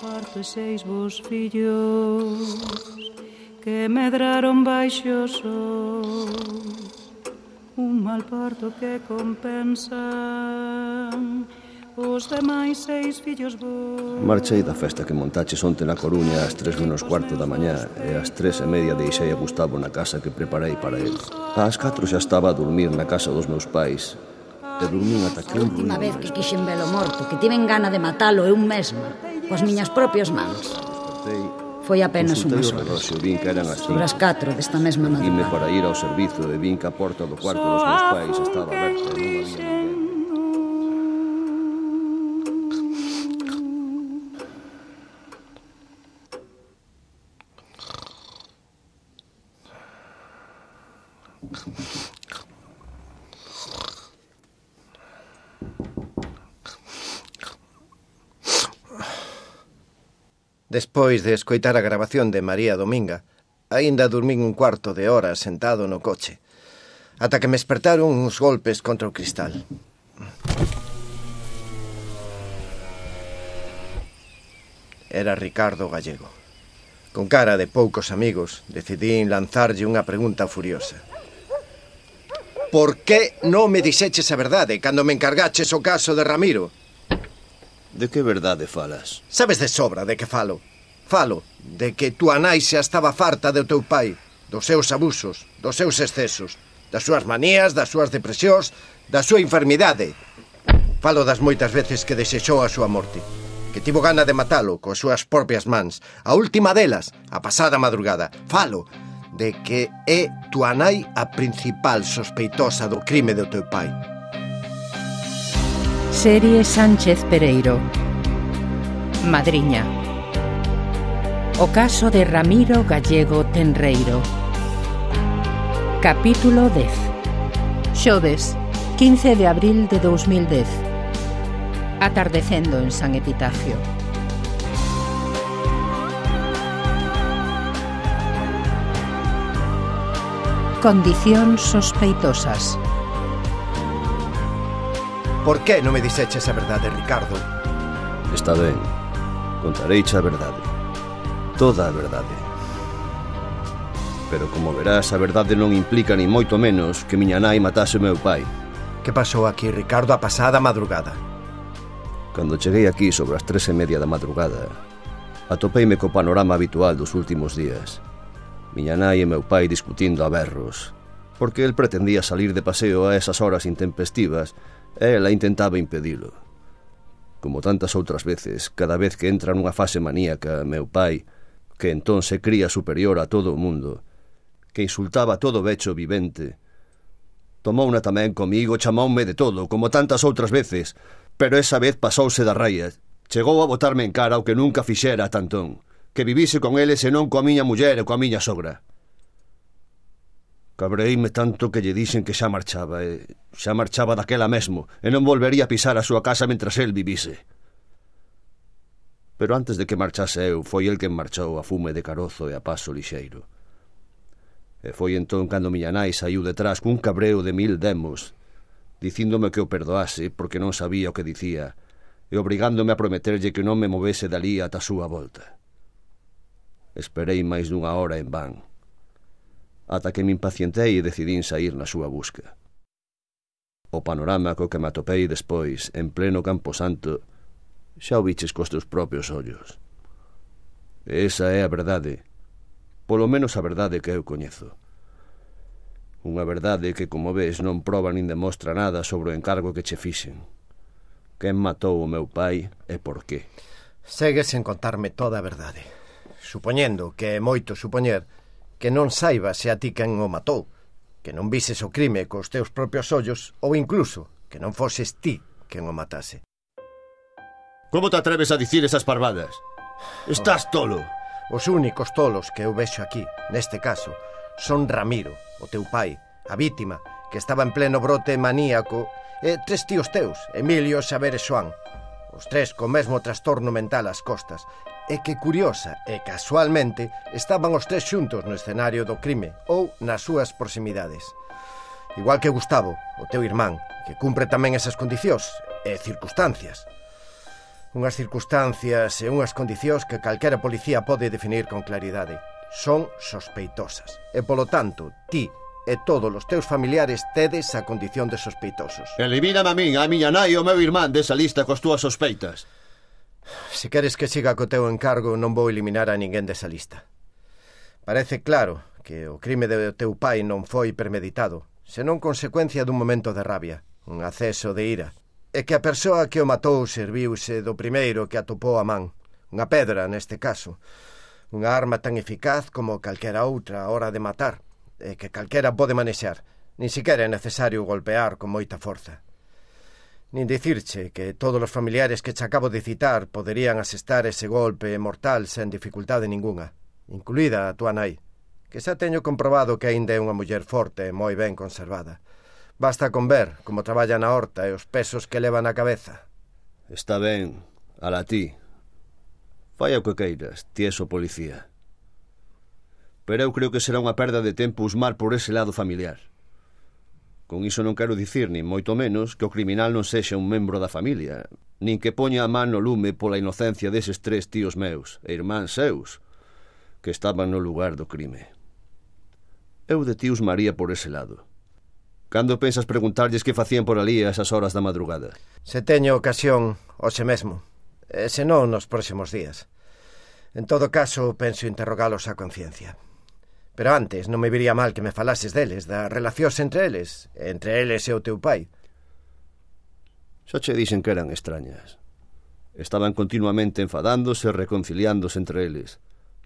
parto e 6 vos fillos que medraron baixo o sol, un mal parto que compensan os demais 6 fillos vos. Marchei da festa que montaches onte na Coruña ás 3:15 da mañá e ás 3:30 deixei a Gustavo na casa que preparei para ele. Ás 4 xa estaba a dormir na casa dos meus pais e dormín ata que A última vez que quixen velo morto, que tiven gana de matalo eu mesma, coas miñas propias mans, foi apenas unhas horas. Vin que eran as 5. Sobre as 4 desta mesma Ime madrugada. para ir ao servizo e vin que a porta do cuarto dos meus pais estaba aberta e non había ninguén. Despois de escoitar a grabación de María Dominga, aínda dormín un cuarto de hora sentado no coche, ata que me espertaron uns golpes contra o cristal. Era Ricardo Gallego. Con cara de poucos amigos, decidín lanzarlle unha pregunta furiosa. Por que non me dixeches a verdade cando me encargaches o caso de Ramiro? De que verdade falas? Sabes de sobra de que falo. Falo de que túa nai xa estaba farta do teu pai, dos seus abusos, dos seus excesos, das súas manías, das súas depresións, da súa enfermidade. Falo das moitas veces que desexou a súa morte, que tivo gana de matalo coas súas propias mans, a última delas, a pasada madrugada. Falo de que é túa nai a principal sospeitosa do crime do teu pai. Serie Sánchez Pereiro. Madriña. O caso de Ramiro Gallego Tenreiro. Capítulo 10. Xoves, 15 de abril de 2010. Atardecendo en San Epitafio. Condicións sospeitosas. Por que non me dixeches a verdade, Ricardo? Está ben, contareiche a verdade. Toda a verdade. Pero como verás, a verdade non implica ni moito menos que miña nai matase o meu pai. Que pasou aquí, Ricardo, a pasada madrugada? Cando cheguei aquí sobre as 3:30 da madrugada, atopeime co panorama habitual dos últimos días. Miña nai e meu pai discutindo a berros, porque el pretendía salir de paseo a esas horas intempestivas e ela intentaba impedilo. Como tantas outras veces, cada vez que entra nunha fase maníaca, meu pai, que entón se cría superior a todo o mundo, que insultaba a todo becho vivente, tomouna tamén comigo, chamoume de todo, como tantas outras veces, pero esa vez pasouse da raia. Chegou a botarme en cara o que nunca fixera a tantón, que vivise con eles e non coa miña muller e coa miña sogra. Cabreíme tanto que lle dixen que xa marchaba daquela mesmo, e non volvería a pisar a súa casa mentras el vivise. Pero antes de que marchase eu, foi el quen marchou a fume de carozo e a paso lixeiro. E foi entón cando miña nai saiu detrás cun cabreo de 1000 demos, dicíndome que o perdoase porque non sabía o que dicía, e obrigándome a prometerlle que non me movese dalí ata a súa volta. Esperei máis dunha hora en van, ata que me impacientei e decidín sair na súa busca. O panorama co que me atopei despois, en pleno Camposanto, xa o viches cos teus propios ollos. E esa é a verdade, polo menos a verdade que eu coñezo. Unha verdade que, como ves, non proba nin demostra nada sobre o encargo que che fixen. Quen matou o meu pai e por qué? Segues en contarme toda a verdade, supoñendo que é moito supoñer que non saiba se a ti quen o matou, que non vises o crime cos teus propios ollos ou incluso que non foses ti quen o matase. Como te atreves a dicir esas parvadas? Estás tolo. Os únicos tolos que eu vexo aquí, neste caso, son Ramiro, o teu pai, a vítima, que estaba en pleno brote maníaco, e 3 tíos teus, Emilio, Xaber e Xoán, os 3 co mesmo trastorno mental ás costas, e que curiosa e casualmente estaban os 3 xuntos no escenario do crime ou nas súas proximidades. Igual que Gustavo, o teu irmán, que cumpre tamén esas condicións e circunstancias. Unhas circunstancias e unhas condicións que calquera policía pode definir con claridade. Son sospeitosas. E, polo tanto, ti e todos os teus familiares tedes a condición de sospeitosos. Elimíname a min, a miña nai e o meu irmán desa lista cos túas sospeitas. Se queres que siga co teu encargo, non vou eliminar a ninguén desa lista. Parece claro que o crime do teu pai non foi premeditado, senón consecuencia dun momento de rabia, un acceso de ira, e que a persoa que o matou serviuse do primeiro que atopou a man, unha pedra neste caso, unha arma tan eficaz como calquera outra a hora de matar, e que calquera pode manexar, nin siquiera é necesario golpear con moita forza. Nin dicirche que todos os familiares que che acabo de citar poderían asestar ese golpe mortal sen dificultade ningunha, incluída a túa nai, que xa teño comprobado que aínda é unha muller forte e moi ben conservada. Basta con ver como traballa na horta e os pesos que leva na cabeza. Está ben, ala ti. Fai o que queiras, ti és o policía. Pero eu creo que será unha perda de tempo usmar por ese lado familiar. Con iso non quero dicir, nin moito menos, que o criminal non sexa un membro da familia, nin que poña a man no lume pola inocencia deses 3 tíos meus e irmáns seus que estaban no lugar do crime. Eu de ti usmaría por ese lado. Cando pensas preguntarlles que facían por ali a esas horas da madrugada? Se teño ocasión, hoxe mesmo, e se non nos próximos días. En todo caso, penso interrogalos a conciencia. Pero antes non me viría mal que me falases deles, das relacións entre eles e o teu pai. Xa che dixen que eran extrañas. Estaban continuamente enfadándose e reconciliándose entre eles.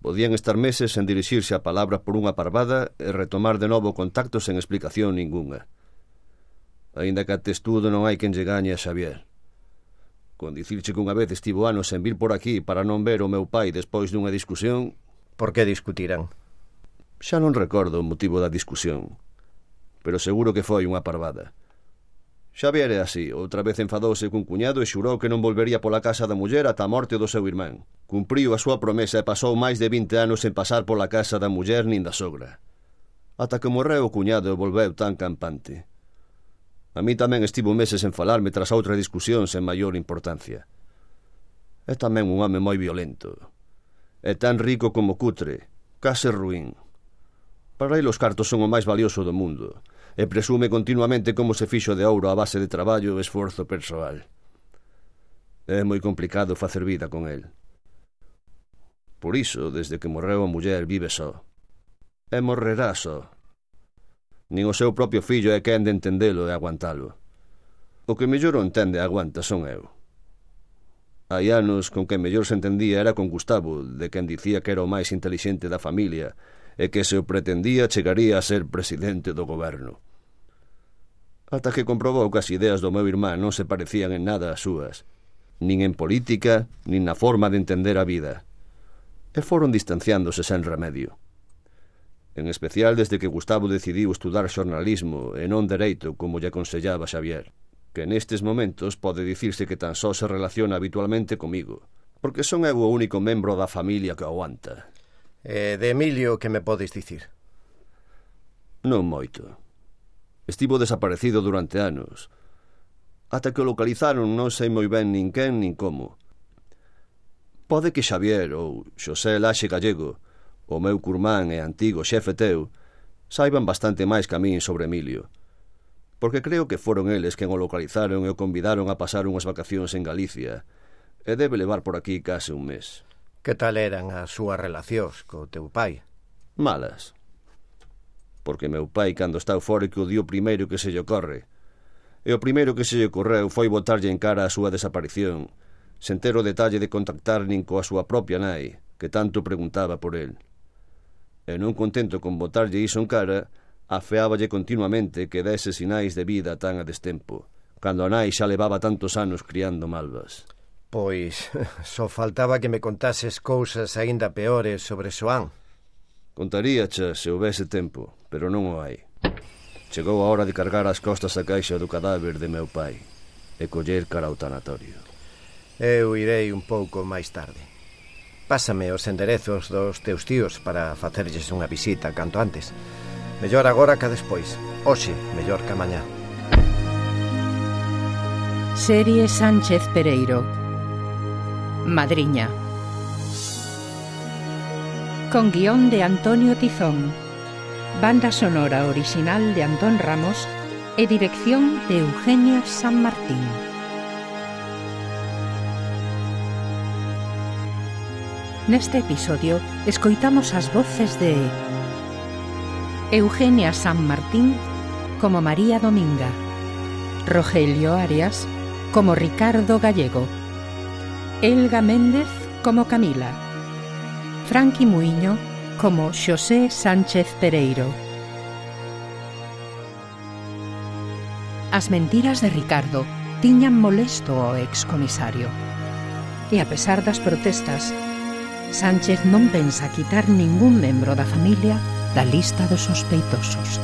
Podían estar meses sen dirixirse a palabra por unha parvada e retomar de novo contacto sen explicación ningunha. Aínda que a testudo non hai quen lle gañe a Xavier. Con dicirche que unha vez estivo anos sen vir por aquí para non ver o meu pai despois dunha discusión... Por que discutiran? Xa non recordo o motivo da discusión, pero seguro que foi unha parvada. Xavier é así, outra vez enfadouse cun cuñado e xurou que non volvería pola casa da muller ata a morte do seu irmán. Cumpriu a súa promesa e pasou máis de 20 anos sen pasar pola casa da muller nin da sogra. Ata que morreu o cuñado e volveu tan campante. A mí tamén estivo meses en falarme tras outra discusión sen maior importancia. É tamén un home moi violento. É tan rico como cutre, case ruín. Para ele os cartos son o máis valioso do mundo e presume continuamente como se fixo de ouro a base de traballo e esforzo persoal. É moi complicado facer vida con el. Por iso, desde que morreu a muller, vive só. E morrerá só. Nin o seu propio fillo é quen de entendelo e aguantalo. O que mellor o entende e aguanta son eu. Hai anos con que mellor se entendía era con Gustavo, de quen dicía que era o máis intelixente da familia e que se o pretendía chegaría a ser presidente do goberno. Ata que comprobou que as ideas do meu irmán non se parecían en nada ás súas, nin en política, nin na forma de entender a vida. E foron distanciándose sen remedio. En especial desde que Gustavo decidiu estudar xornalismo e non dereito como lle aconsellaba Xavier, que nestes momentos pode dicirse que tan só se relaciona habitualmente comigo, porque son eu o único membro da familia que aguanta. De Emilio, que me podes dicir? Non moito. Estivo desaparecido durante anos. Ata que o localizaron non sei moi ben nin quen nin como. Pode que Xavier ou Xosé Laxe Gallego, o meu curmán e antigo xefe teu, saiban bastante máis que a min sobre Emilio, porque creo que foron eles quen o localizaron e o convidaron a pasar unhas vacacións en Galicia, e debe levar por aquí case un mes. Que tal eran as súas relacións co teu pai? Malas. Porque meu pai, cando está eufórico, dio o primeiro que se lle ocorre. E o primeiro que se lle ocorreu foi botarlle en cara a súa desaparición, sen ter o detalle de contactar nin coa súa propia nai, que tanto preguntaba por el. E non contento con botarlle iso en cara, afeáballe continuamente que dese sinais de vida tan a destempo, cando a nai xa levaba tantos anos criando malvas. Pois, só faltaba que me contases cousas aínda peores sobre Xoán. Contaríache se houvese tempo, pero non o hai. Chegou a hora de cargar as costas a caixa do cadáver de meu pai e coller cara ao tanatorio. Eu irei un pouco máis tarde. Pásame os enderezos dos teus tíos para facerlles unha visita canto antes. Mellor agora que despois. Hoxe, mellor que mañá. Serie Sánchez Pereiro. Madriña. Con guión de Antonio Tizón, banda sonora original de Antón Ramos e dirección de Eugenia San Martín. Neste episodio escoitamos as voces de Eugenia San Martín como María Dominga, Rogelio Arias como Ricardo Gallego, Elga Méndez como Camila, Franqui Muiño como Xosé Sánchez Pereiro. As mentiras de Ricardo tiñan molesto ao excomisario. E a pesar das protestas, Sánchez non pensa quitar ningún membro da familia da lista dos sospeitosos.